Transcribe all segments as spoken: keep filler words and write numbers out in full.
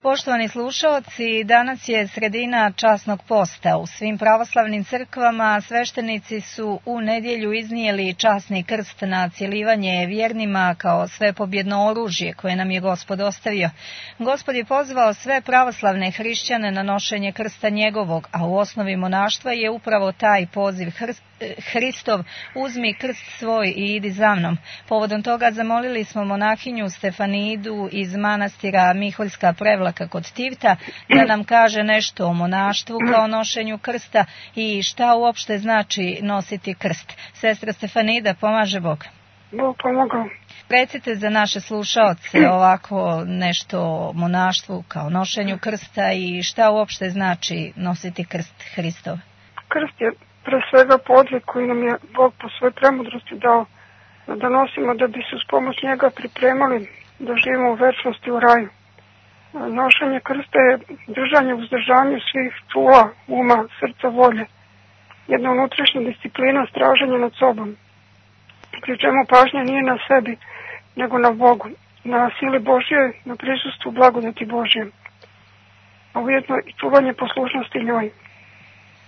Poštovani slušaoci, danas je sredina časnog posta. U svim pravoslavnim crkvama sveštenici su u nedjelju iznijeli časni krst na cjelivanje vjernima kao svepobjedno oružje koje nam je Gospod ostavio. Gospod je pozvao sve pravoslavne hrišćane na nošenje krsta njegovog, a u osnovi monaštva je upravo taj poziv Hristov, uzmi krst svoj i idi za mnom. Povodom toga zamolili smo monahinju Stefanidu iz manastira Miholjska Prevlaka kod Tivta da nam kaže nešto o monaštvu kao nošenju krsta i šta uopšte znači nositi krst. Sestra Stefanida, pomaže Bog. Bog pomogao. Recite za naše slušaoce ovako nešto o monaštvu kao nošenju krsta i šta uopšte znači nositi krst Hristov. Krst je pre svega podvig koji nam je Bog po svojoj premudrosti dao da nosimo da bi se uz pomoć njega pripremali da živimo u večnosti u raju. Nošenje krsta je držanje u uzdržanju svih čula, uma, srca, volje. Jedna unutrašnja disciplina straženja nad sobom. Pri čemu pažnja nije na sebi, nego na Bogu, na sili Božje, na prisustvu blagodati Božje. A ujedno i čuvanje poslušnosti njoj.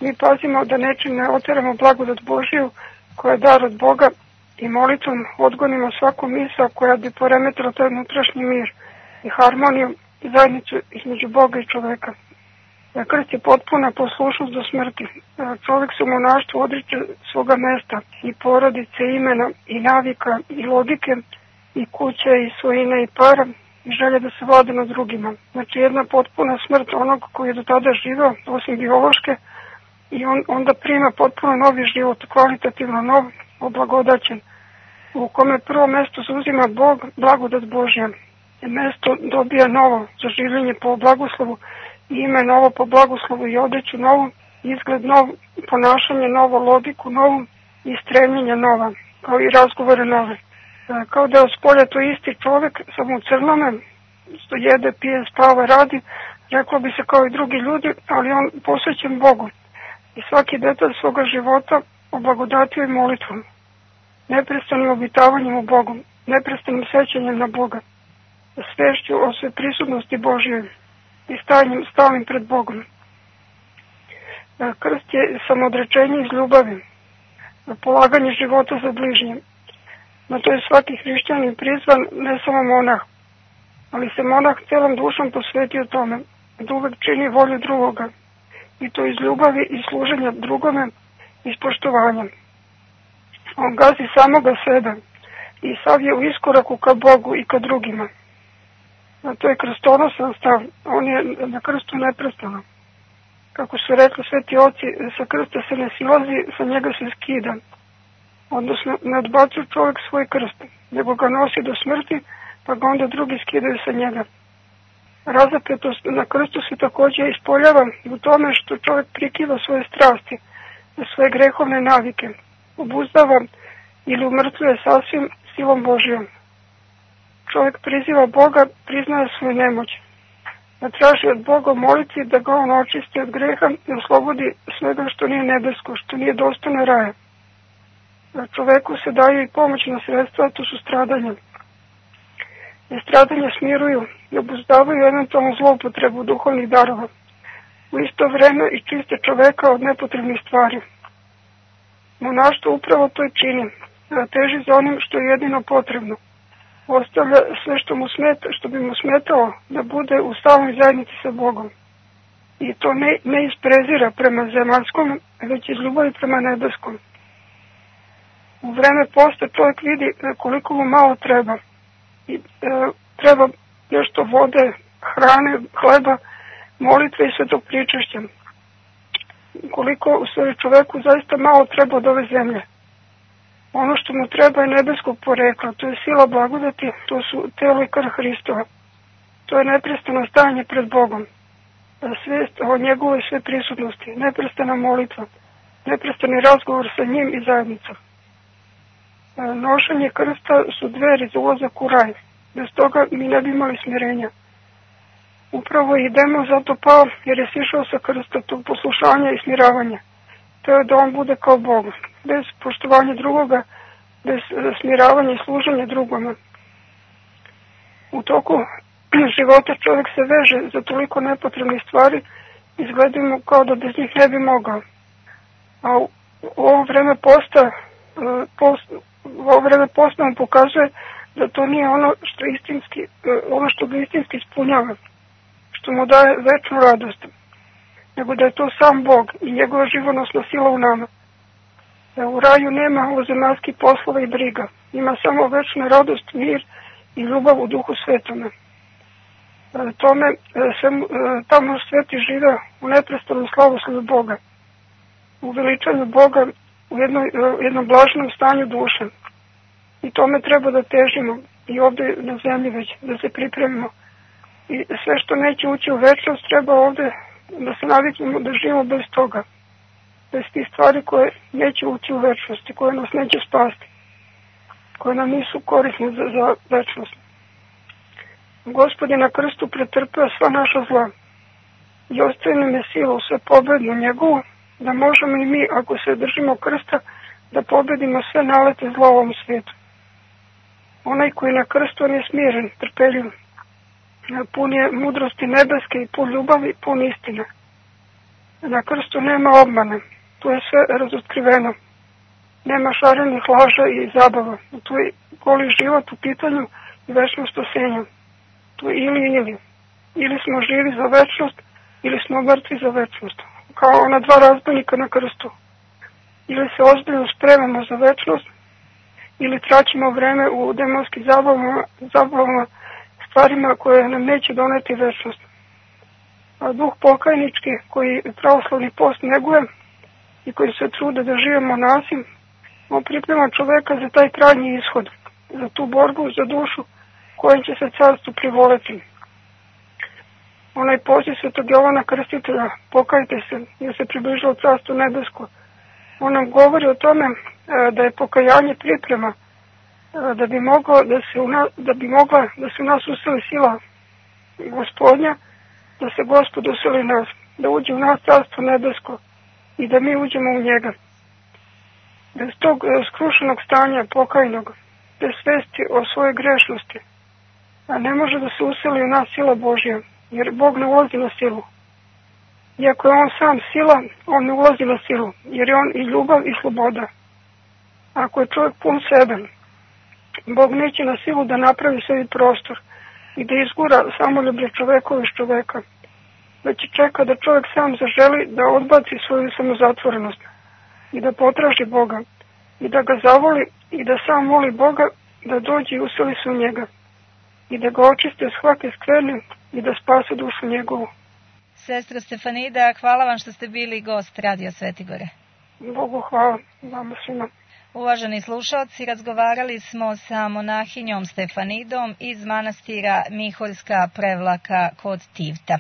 Mi pazimo da nečim ne oteramo blagodat Božju koja je dar od Boga i molitvom odgonimo svaku misao koja bi poremetila taj unutrašnji mir i harmoniju i zajednicu između Boga i čoveka. Krst je potpuna poslušnost do smrti. Čovjek se u monaštvu odriče svoga mesta i porodice, imena i navika i logike i kuće i svojine i para i želje da se vlada nad drugima. Znači jedna potpuna smrt onog koji je do tada živio, osim biološke, i on onda prima potpuno novi život, kvalitativno nov, oblagodaćen, u kome prvo mesto zauzima Bog, blagodat Božja. I mesto dobija novo za življenje po blagoslovu, i ime novo po blagoslovu i odeću novu, izgled nov, ponašanje novo, logiku novu i stremljenja nova, kao i razgovore nove. Kao da je od spolja to isti čovjek, samo u crnome, što jede, pije, spava, radi, reklo bi se kao i drugi ljudi, ali on posvećen Bogu. I svaki detalj svoga života oblagodatio i molitvom, neprestanim obitavanjem u Bogu, neprestanim sećanjem na Boga, svešću o sve prisutnosti Božje i stanjem stalnim pred Bogom. Krst je samodrečenje iz ljubavi, polaganje života za bližnje. Na to je svaki hrišćanin prizvan, ne samo monah, ali se monah celom dušom posvetio tome, da uvek čini volju drugoga, i to iz ljubavi i služenja drugome i poštovanja. On gazi samoga sebe i sav je u iskoraku ka Bogu i ka drugima. A to je krstonosan stav, on je na krstu neprestano. Kako su rekli sveti oci, sa krsta se ne silazi, sa njega se skida. Odnosno, ne odbacuje čovjek svoj krst, nego ga nosi do smrti, pa ga onda drugi skidaju sa njega. Razapetost na krstu se također ispoljava u tome što čovjek prikiva svoje strasti, svoje grehovne navike, obuzdava ili umrtvuje sasvim silom Božjom. Čovjek priziva Boga, priznaje svoju nemoć, da traži od Boga moliti da ga on očisti od greha i oslobodi svega što nije nebesko, što nije dostojno raja. Da čoveku se daju i pomoćna sredstva, to su stradanja. I stradanja smiruju i obuzdavaju eventualnu zloupotrebu duhovnih darova. U isto vreme i čiste čoveka od nepotrebnih stvari. Monaštvo upravo to i čini, teži za onim što je jedino potrebno. Ostavlja sve što mu smeta, što bi mu smetalo da bude u stalnoj zajednici sa Bogom. I to ne, ne iz prezira prema zemaljskom, već iz ljubavi prema nebeskom. U vreme posta čovjek vidi koliko mu malo treba. I, e, treba nešto vode, hrane, hleba, molitve i svetog pričešća. Koliko u stvari čoveku zaista malo treba od ove zemlje. Ono što mu treba je nebeskog porekla, to je sila blagodati, to su telo i krv Hristova. To je neprestano stajanje pred Bogom, svijest o njegovoj sve prisutnosti, neprestana molitva, neprestani razgovor sa njim i zajednicom. Nošenje krsta su dveri za ulazak u raj, bez toga mi ne bi imali smirenja. Upravo idemo zato pao jer je sišao sa krsta tog poslušanja i smiravanja. To je da on bude kao Bog, bez poštovanja drugoga, bez smiravanja i služenja drugome. U toku života čovjek se veže za toliko nepotrebnih stvari, izgledamo kao da bez njih ne bi mogao. A u, u ovo vreme posta, post, u ovo vreme posta nam pokazuje da to nije ono što istinski, ono što ga istinski ispunjava, što mu daje večnu radost, nego da je to sam Bog i njegova živonosna sila u nama. Da u raju nema ovozemaljskih poslova i briga, ima samo večna radost, mir i ljubav u Duhu Svetome. Tome, tamo sveti žive u neprestanom slavoslavlju Boga, u veličanju Boga, u jednoj, jednom blaženom stanju duše. I tome treba da težimo i ovdje na zemlji već, da se pripremimo. I sve što neće ući u večnost treba ovdje da se naviknemo da živimo bez toga. Bez tih stvari koje neće ući u večnost i koje nas neće spasti, koje nam nisu korisne za, za večnost. Gospod je na krstu pretrpeo sva naša zla i ostaje nam je sila u sve pobednu njegovu, da možemo i mi, ako se držimo krsta, da pobedimo sve nalete zla u ovom svijetu. Onaj koji na krstu on je smiren, trpeljiv, pun je mudrosti nebeske i pun ljubavi, pun istine. Na krstu nema obmane, tu je sve razotkriveno. Nema šarenih laža i zabava. Tu je goli život u pitanju i večno spasenje. Tu je ili ili. Ili smo živi za večnost, ili smo mrtvi za večnost. Kao ona dva razbojnika na krstu. Ili se ozbiljno spremamo za večnost, ili traćimo vreme u demonskim zabavama, zabavama, stvarima koje nam neće doneti večnost. A duh pokajnički koji pravoslavni post neguje i koji se trude da živimo nasim, on priprema čoveka za taj krajnji ishod, za tu borbu, za dušu kojom će se carstvu privoleti. Onaj poziv svetog Jovana Krstitelja, pokajte se, jer se približilo carstvo nebesko. On nam govori o tome da je pokajanje priprema, da bi moglo da se u nas, da bi mogla da se u nas useli sila Gospodnja, da se Gospod useli nas, da uđe u nas carstvo nebesko i da mi uđemo u njega. Bez tog skrušenog stanja pokajnog, bez svesti o svojoj grešnosti, a ne može da se useli u nas sila Božja, jer Bog ne ulazi na silu. Iako je on sam sila, on ne ulazi na silu, jer je on i ljubav i sloboda. Ako je čovjek pun sebe, Bog neće na silu da napravi sebi prostor i da izgura samoljublje čovekova iz čoveka, već čeka da čovjek sam zaželi da odbaci svoju samozatvorenost i da potraži Boga i da ga zavoli i da sam moli Boga da dođe i useli se u njega i da ga očiste od svake skvrne i da spase dušu njegovu. Sestra Stefanida, hvala vam što ste bili gost Radio Svetigore. Bogu hvala, vama svima. Uvaženi slušalci, razgovarali smo sa monahinjom Stefanidom iz manastira Miholjska Prevlaka kod Tivta.